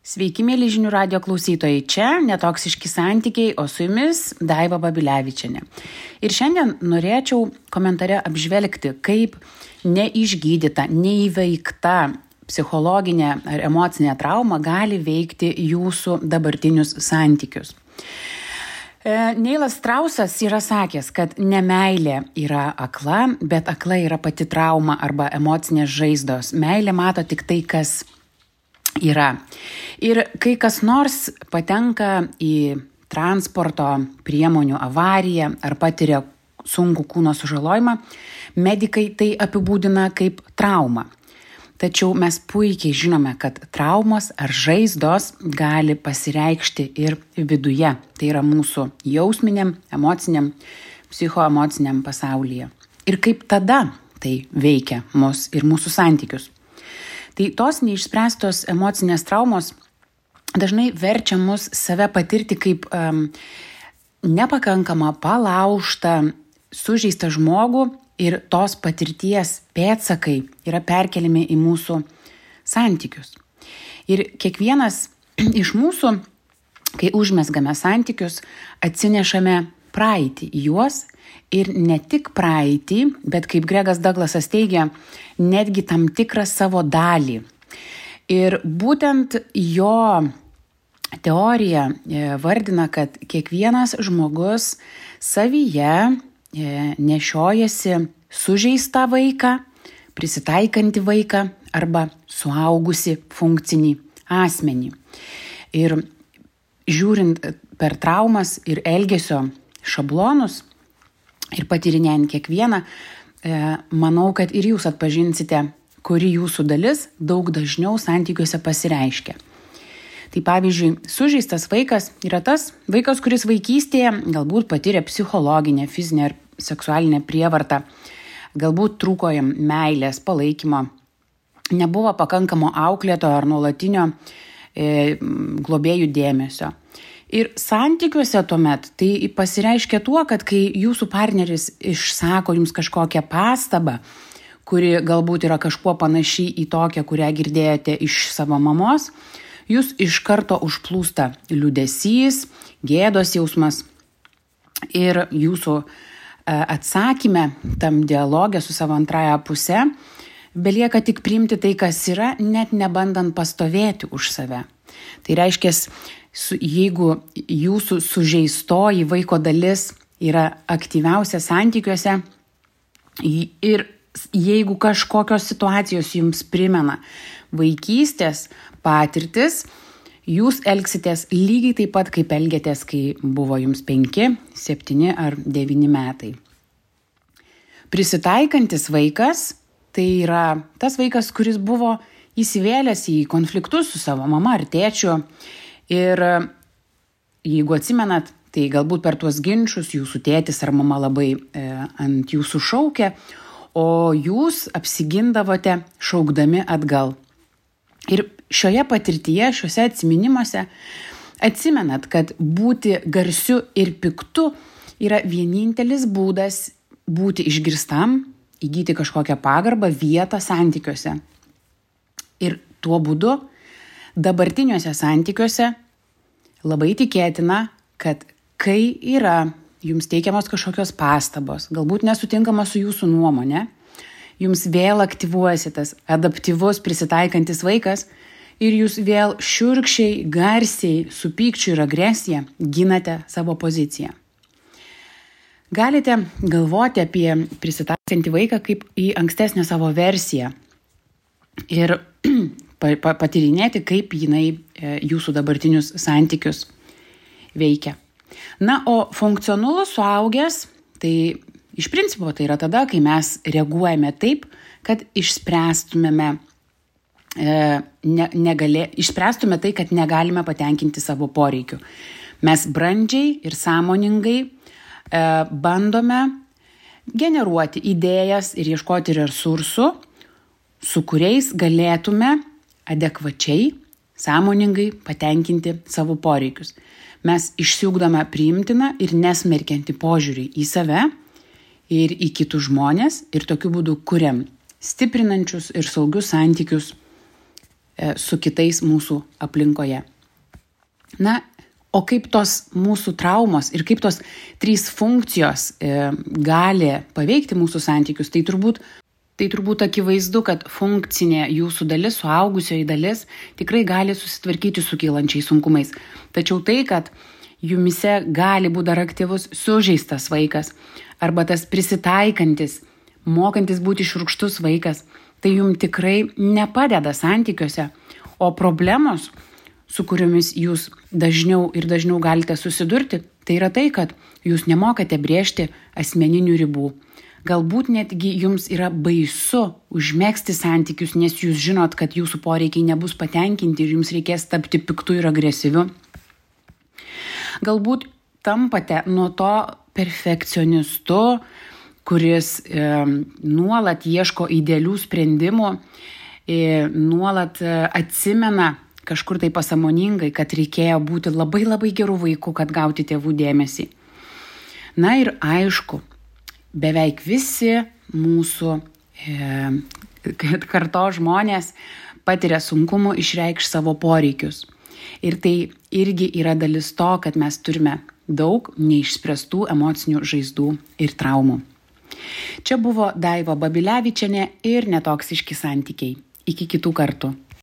Sveiki, mėly žinių radijo klausytojai. Čia netoksiški santykiai, o su jumis Daiva Babilevičienė. Ir šiandien norėčiau komentare apžvelgti, kaip neišgydyta, neįveikta psichologinė ar emocinė trauma gali veikti jūsų dabartinius santykius. Neilas Strausas yra sakęs, kad nemeilė yra akla, bet akla yra pati trauma arba emocinės žaizdos. Meilė mato tik tai, kas yra. Ir kai kas nors patenka į transporto priemonių avariją ar patiria sunkų kūno sužalojimą, medikai tai apibūdina kaip traumą. Tačiau mes puikiai žinome, kad traumos ar žaizdos gali pasireikšti ir viduje. Tai yra mūsų jausminiam, emociniam, psichoemociniam pasaulyje. Ir kaip tada tai veikia mus ir mūsų santykius. Tai tos neišspręstos emocinės traumos dažnai verčia mus save patirti kaip nepakankamą, palaužtą, sužeistą žmogų ir tos patirties pėdsakai yra perkeliami į mūsų santykius. Ir kiekvienas iš mūsų, kai užmezgame santykius, atsinešame praeitį į juos ir ne tik praeitį, bet kaip Gregas Douglasas teigia, netgi tam tikrą savo dalį. Ir būtent jo teorija vardina, kad kiekvienas žmogus savyje nešiojasi sužeistą vaiką, prisitaikantį vaiką arba suaugusi funkcinį asmenį. Ir žiūrint per traumas ir elgesio šablonus ir patyrinėjant kiekvieną, manau, kad ir jūs atpažinsite, kuri jūsų dalis daug dažniau santykiuose pasireiškia. Tai pavyzdžiui, sužeistas vaikas yra tas vaikas, kuris vaikystėje galbūt patyrė psichologinę, fizinę ar seksualinę prievartą, galbūt trūko jam meilės, palaikymo, nebuvo pakankamo auklėtojo ar nuolatinio globėjų dėmesio. Ir santykiuose tuomet tai pasireiškia tuo, kad kai jūsų partneris išsako jums kažkokią pastabą, kuri galbūt yra kažkuo panaši į tokią, kurią girdėjote iš savo mamos, jūs iš karto užplūsta liūdesys, gėdos jausmas ir jūsų atsakyme tam dialoge su savo antrąja puse belieka tik priimti tai, kas yra, net nebandant pastovėti už save. Tai reiškia, jeigu jūsų sužeistoji vaiko dalis yra aktyviausia santykiuose ir jeigu kažkokios situacijos jums primena vaikystės patirtis, jūs elgsitės lygiai taip pat, kaip elgėtės, kai buvo jums 5, 7 ar 9 metai. Prisitaikantis vaikas tai yra tas vaikas, kuris buvo įsivėlęs į konfliktus su savo mama ar tėčiu. Ir jeigu atsimenat, tai galbūt per tuos ginčus jūsų tėtis ar mama labai ant jūsų šaukė, o jūs apsigindavote šaukdami atgal. Ir šioje patirtyje, šiuose atsiminimuose atsimenat, kad būti garsiu ir piktu yra vienintelis būdas būti išgirstam, įgyti kažkokią pagarbą, vietą santykiuose. Ir tuo būdu dabartiniuose santykiuose labai tikėtina, kad kai yra jums teikiamos kažkokios pastabos, galbūt nesutinkama su jūsų nuomonė, jums vėl aktyvuojasi tas adaptyvus prisitaikantis vaikas ir jūs vėl šiurkščiai, garsiai, su pykčiu ir agresija ginate savo poziciją. Galite galvoti apie prisitaikantį vaiką kaip į ankstesnę savo versiją ir patyrinėti, kaip jinai jūsų dabartinius santykius veikia. Na, o funkcionalus suaugęs, tai iš principo tai yra tada, kai mes reaguojame taip, kad išspręstume tai, kad negalime patenkinti savo poreikių. Mes brandžiai ir sąmoningai bandome generuoti idėjas ir ieškoti resursų, su kuriais galėtume adekvačiai, sąmoningai patenkinti savo poreikius. Mes išsiugdome priimtiną ir nesmerkiantį požiūrį į save ir į kitus žmonės ir tokiu būdu kuriam stiprinančius ir saugius santykius su kitais mūsų aplinkoje. Na, o kaip tos mūsų traumos ir kaip tos 3 funkcijos gali paveikti mūsų santykius, tai turbūt akivaizdu, kad funkcinė jūsų dalis, suaugusioji dalis, tikrai gali susitvarkyti su kylančiais sunkumais. Tačiau tai, kad jumise gali būti dar aktyvus sužeistas vaikas arba tas prisitaikantis, mokantis būti šiurkštus vaikas, tai jums tikrai nepadeda santykiuose, o problemos, su kuriomis jūs dažniau ir dažniau galite susidurti, tai yra tai, kad jūs nemokate brėžti asmeninių ribų. Galbūt netgi jums yra baisu užmegzti santykius, nes jūs žinot, kad jūsų poreikiai nebus patenkinti ir jums reikės tapti piktu ir agresyviu. Galbūt tampate nuo to perfekcionistu, kuris nuolat ieško idealių sprendimų, nuolat atsimena kažkur tai pasąmoningai, kad reikėjo būti labai labai gerų vaikų, kad gauti tėvų dėmesį. Na ir aišku, beveik visi mūsų kartos žmonės patiria sunkumų išreikšti savo poreikius. Ir tai irgi yra dalis to, kad mes turime daug neišspręstų emocinių žaizdų ir traumų. Čia buvo Daiva Babilevičienė ir Netoksiški santykiai. Iki kitų kartų.